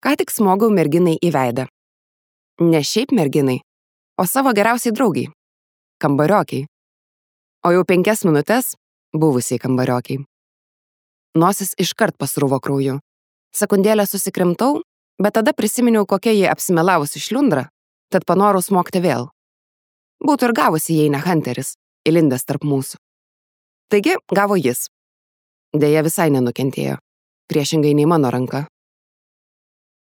Ką tik smogau merginai į veidą. Ne šiaip merginai, o savo geriausiai draugiai. Kambariokiai. O jau 5 minutės buvusiai kambariokiai. Nosis iškart pasruvo krauju. Sekundėlę susikrimtau, bet tada prisiminiau, kokia jie apsimelavusi šliundra, tad panorau smogti vėl. Būtų ir gavusi, jei ne Hunteris, įlindęs tarp mūsų. Taigi, gavo jis. Deja, visai nenukentėjo, priešingai nei mano ranka.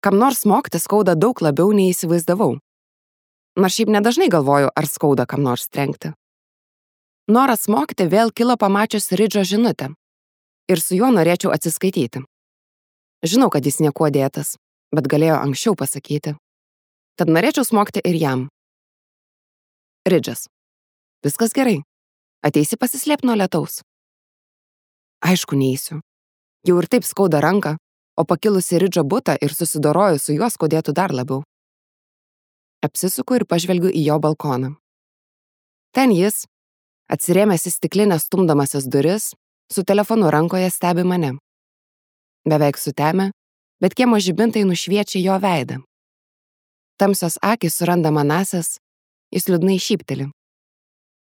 Kam nors smogti skauda daug labiau, nei įsivaizdavau. Nors šiaip nedažnai galvoju, ar skauda kam nors trenkti. Noras smogti vėl kilo pamačius Ridžo žinutę. Ir su juo norėčiau atsiskaityti. Žinau, kad jis niekuo dėtas, bet galėjo anksčiau pasakyti. Tad norėčiau smogti ir jam. Ridžas. Viskas gerai. Ateisi pasislėpti nuo lietaus? Aišku, neįsiu. Jau ir taip skauda ranką, o pakilusi Ridžo butą ir susidoroju su juo skaudėtų dar labiau. Apsisuku ir pažvelgiu į jo balkoną. Ten jis, atsirėmęs į stiklinę stumdamasis duris, su telefonu rankoje stebi mane. Beveik sutemę, bet kiemo žibintai nušviečia jo veidą. Tamsios akys suranda manąsias, jis liūdnai šypteli.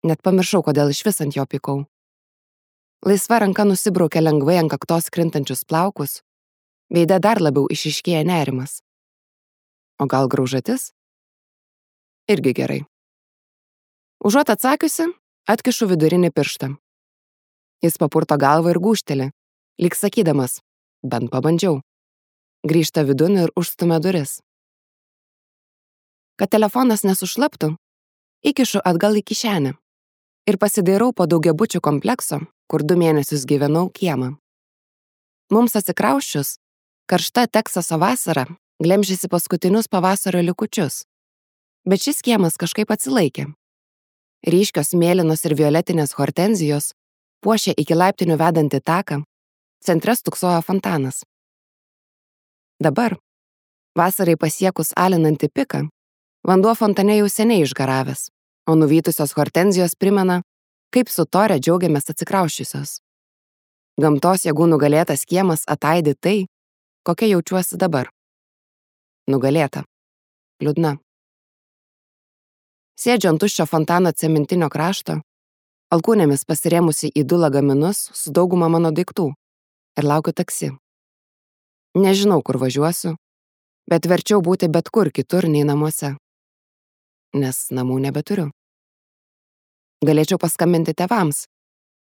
Net pamiršau, kodėl išvis ant jo pykau. Laisva ranka nusibraukia lengvai ant kaktos krintančius plaukus, veide dar labiau išiškėja nerimas. O gal graužatis? Irgi gerai. Užuot atsakiusi, atkišu vidurinį pirštą. Jis papurto galvą ir gūžteli, lyg sakydamas, bent pabandžiau. Grįžta vidun ir užstumia duris. Kad telefonas nesušlaptų, įkišu atgal į kišenę ir pasidairau po daugiabučių komplekso, kur 2 mėnesius gyvenau kiemą. Mums atsikrausčius, karšta Teksaso vasara glemžėsi paskutinius pavasario likučius, bet šis kiemas kažkaip atsilaikė. Ryškios mėlynos ir violetinės hortenzijos puošė iki laiptinių vedantį taką, centre stūksojo fontanas. Dabar, vasarai pasiekus alinantį piką, vanduo fontane jau seniai išgaravęs, o nuvytusios hortenzijos primena, kaip su Tore džiaugiamės atsikrauščiusios. Gamtos jėgų nugalėtas kiemas ataidi tai, kokia jaučiuosi dabar. Nugalėta. Liūdna. Sėdžiu ant tuščio fontano cementinio krašto, alkūnėmis pasirėmusi į 2 lagaminus su dauguma mano daiktų ir laukiu taksi. Nežinau, kur važiuosiu, bet verčiau būti bet kur kitur nei namuose. Nes namų nebeturiu. Galėčiau paskambinti tėvams,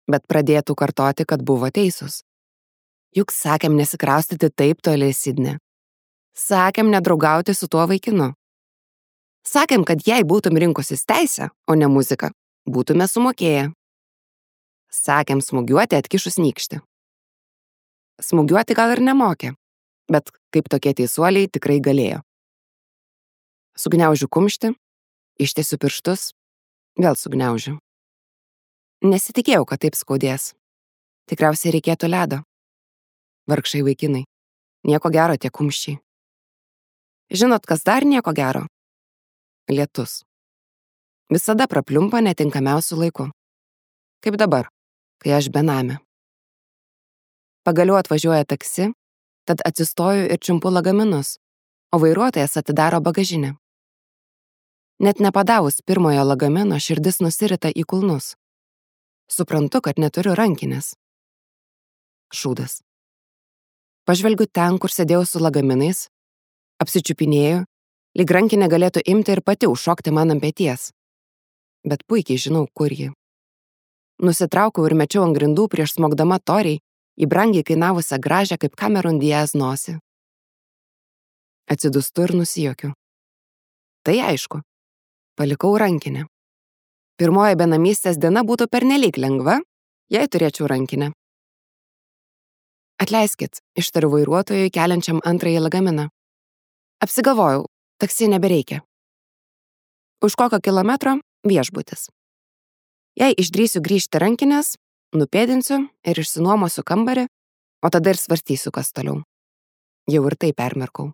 bet pradėtų kartoti, kad buvo teisūs. Juk sakėm nesikraustyti taip toli į Sidnę. Sakėm nedraugauti su tuo vaikinu. Sakėm, kad jei būtum rinkusis teisę, o ne muziką, būtume sumokėję. Sakėm smūgiuoti atkišus nykštį. Smūgiuoti gal ir nemokė, bet kaip tokie teisuoliai tikrai galėjo. Sugniaužiu kumštį, ištiesiu pirštus, vėl sugniaužiu. Nesitikėjau, kad taip skaudės. Tikriausiai reikėtų ledo. Vargšai vaikinai. Nieko gero tie kumščiai. Žinot, kas dar nieko gero? Lietus. Visada prapliumpa netinkamiausiu laiku. Kaip dabar, kai aš benamė. Pagaliau atvažiuoja taksi, tad atsistoju ir čiumpu lagaminus, o vairuotojas atidaro bagažinę. Net nepadavus pirmojo lagamino širdis nusirita į kulnus. Suprantu, kad neturiu rankinės. Šūdas. Pažvelgiu ten, kur sėdėjau su lagaminais, apsičiupinėju, lyg rankinė galėtų imti ir pati užšokti man ant peties. Bet puikiai žinau, kur ji. Nusitraukiau ir mečiau ant grindų prieš smogdama Toriai į brangiai kainavusią gražią kaip Cameron Diaz nosį. Atsidūstu ir nusijuokiu. Tai aišku, palikau rankinę. Pirmoji benamystės diena būtų pernelyg lengva, jei turėčiau rankinę. Atleiskit, ištariu vairuotojui keliančiam antrąjį lagaminą. Apsigalvojau, taksi nebereikia. Už kokio kilometro viešbutis. Jei išdrįsiu grįžti rankinės, nupėdinsiu ir išsinuomosiu kambarį, o tada ir svarstysiu, kas toliau. Jau ir tai permirkau.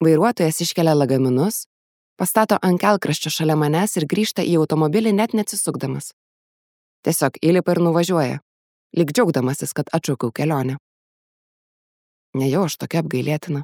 Vairuotojas iškelia lagaminus, pastato ant kelkraščio šalia manęs ir grįžta į automobilį net neatsisukdamas. Tiesiog įlipa ir nuvažiuoja, lyg džiaugdamasis, kad atšaukiau kelionę. Nejau aš tokia apgailėtina.